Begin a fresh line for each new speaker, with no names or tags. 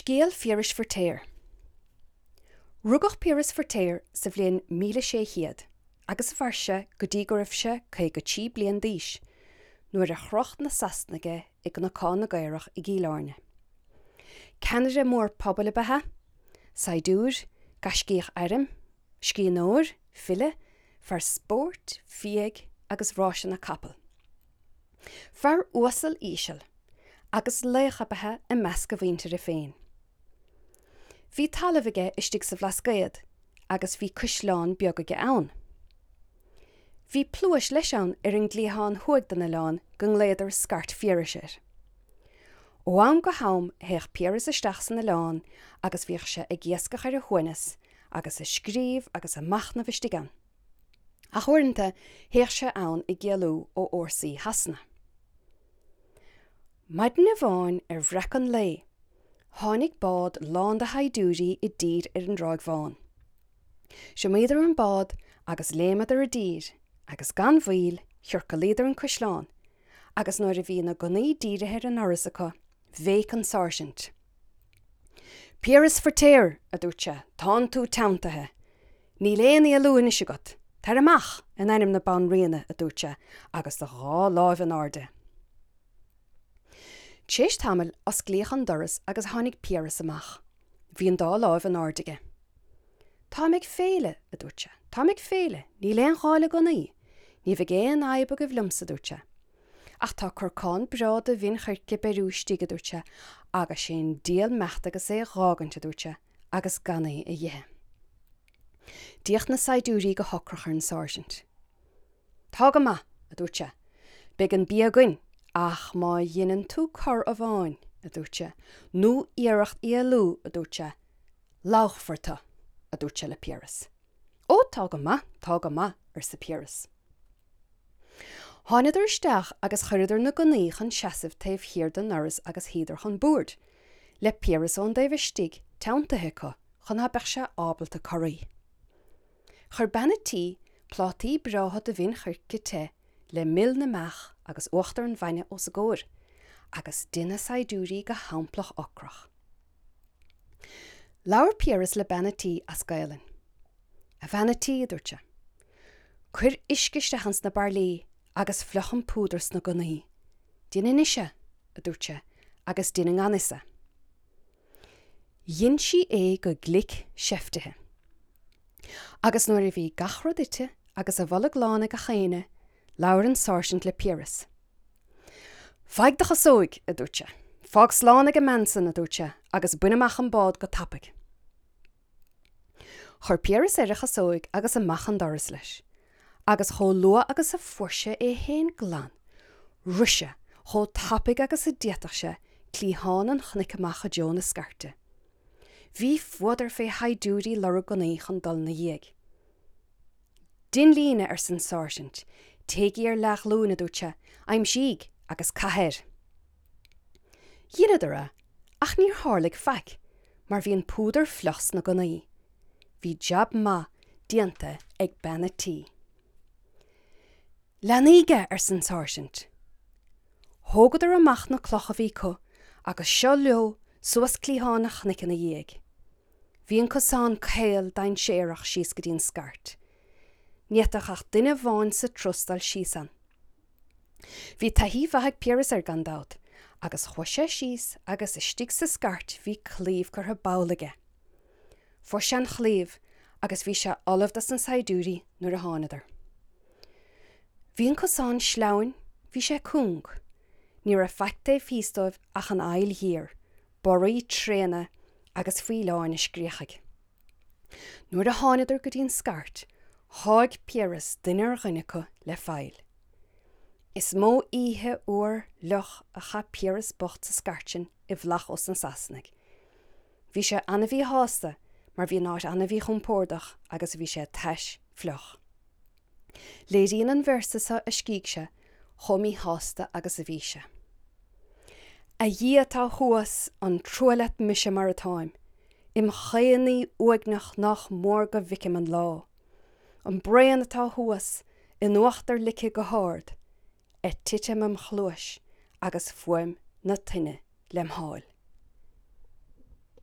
Scéal Phiarais Feirtéar. Rugadh Piaras Feirtéar sa bhliain 1600 agus mhair sé go dtí go raibh sé 53 bliain d'aois, nuair a chroch na Sasanaigh é i gCnocán na gCaorach i gCill Airne. Ceannaire mór pobail ab ea é, saighdiúir, gaiscíoch airm, scríbhneoir, file, fear spóirt, fiaigh agus ráiseanna capall. Fear uasal íseal agus laoch ab ea i measc a mhuintire féin. Bhí talamh aige istigh sa Bhlascaod agus bhí caisleán beag aige ann. Bhí pluais leis ann ar an gcliathán thuaidh den oileán go nglaodar Scairt Phiarais air. Ó am go ham théadh Piaras isteach san oileán agus bhíodh sé ag iascach ar a shuaimhneas agus ag scríobh agus ag machnamh istigh ann. Ach uaireanta théadh sé ann ag éalú ó fhórsaí Shasana. Maidin amháin ar bhreacadh an lae, tháinig bád lán de shaighdiúirí i dtír ar an dTráigh Bhán. Thiomáineadar an bád agus léimeadar i dtír agus gan mhoill chiorcalaíodar an caisleán agus nuair a bhí na gunnaí dírithe ar an ndoras acu, bhéic an sáirsint. Piaras Feirtéar, a dúirt sé, tánn tú teanntaithe. Níl aon éalú anois agat. Tar amach, in ainm na Banríona, a dúirt sé, agus do dhá láimh in airde. T'éis tamaill osclaíodh an doras agus tháinig Piaras amach. Bhí an dá láimh in airde aige. Táim ag féile, a dúirt sé. Táim ag féile. Níl aon ghá le gunnaí. Ní bheidh aon fhadhb agaibh liomsa, a dúirt sé. Ach tá corcán breá de mhin choirce beiriú istigh, a dúirt sé, agus sé an diabhal meacht agus é dh'fhágaint, a dúirt sé, agus gan é a dh'ithe. D'fhéach na saighdiúirí go hocrach ar an sáirsint. Tá go maith, a dúirt sé, beidh an bia againn, ach má dheineann tú cor amháin, a dúirt sé, nó iarracht éalú, a dúirt sé, lobhchfar tu, a dúirt sé le Piaras. Ó, tá go maith, tá go maith, arsa Piaras. Thánadar isteach agus chuireadar na gunnaí chun seasaimh taobh thiar den ndoras agus shuíodar chun boird, le Piaras ón dtaobh istigh teanntaithe acu chun ná beadh sé ábalta corraí. Chuir bean a' tí plátaí breátha de mhin choirce te le mil na mbeach agus uachtar an bhainne os a gcomhair, agus d'ith na saighdiúirí go hamplach ocrach. Labhair Piaras le bean a' tí as Gaelainn. A bhean a' tí, a dúirt sé, cuir uisce isteach ins na bairillí agus fliuch an púdar sna gunnaí. Dein anois é, a dúirt sé, agus dein i ngan fhios é. Dhein sí é go glic seiftithe. Agus nuair a bhí gach rud ite agus a bholg lán ag gach éinne, labhair an sáirsint le Piaras. Faigh do chasóig, a dúirt sé. Fág slán ag an mbean san, a dúirt sé, agus bain amach an bád go tapaidh. Chuir Piaras air a chasóig agus amach an doras leis, agus chomh luath agus a fuair sé é fhéin glan, rith sé, chomh tapaidh agus a d'fhéadfadh sé, cliathán an chnoic amach i dtreo na scairte. Bhí fuadar fé shaighdiúirí lorg gunnaí chun dul 'na dhiaidh. Dein líne, arsa an sáirsint. Téigí ar leathghlúin, a dúirt sé, aimsígh agus caith air. Dheineadar é, ach níor tharlaigh faic, mar bhí an púdar fliuch sna gunnaí. Bhí jab maith déanta ag bean a' tí. Leanaíg é, arsa an sáirsint. Thógadar amach na clocha a bhí acu agus seo leo suas cliathán an chnoic ina dhiaidh. Bhí an cosán caol dainséarach síos go dtí an scairt. Ní fhéadfadh ach duine amháin sa turas dul síos ann. Bhí taithí mhaith ag Piaras air gan dabht, agus chuaigh sé síos agus istigh sa scairt bhí claíomh curtha ball aige. Fuair sé an chlaíomh agus bhí sé ullamh dos na saighdiúirí nuair a thánadar. Bhí an cosán sleamhain, bhí sé cúng. Ní raibh faic taobh thíos dóibh ach an aill ghéar, barraí tréana agus faoileáin ag scréachaigh. Nuair a thánadar go dtí an scairt, sháigh Piaras duine ar dhuine acu le faill. Is mó oíche fhuar fhliuch a chaith Piaras bocht sa scairt sin i bhflach ós na Sasanaigh. Bhí sé ana-mhíshásta mar bhí an áit ana-mhíchompordach agus bhí sé tais fliuch. Léiríonn an véarsa seo a scrígh sé chomh míshásta agus a bhí sé. A Dhia atá thuas, an trua leat mise mar atáim, im chaonaí uaigneach nách mór go bhficim an lá. An braon atá thuas in uachtar lice go hard, ag titim im chluais agus fuaim na toinne lem sháil.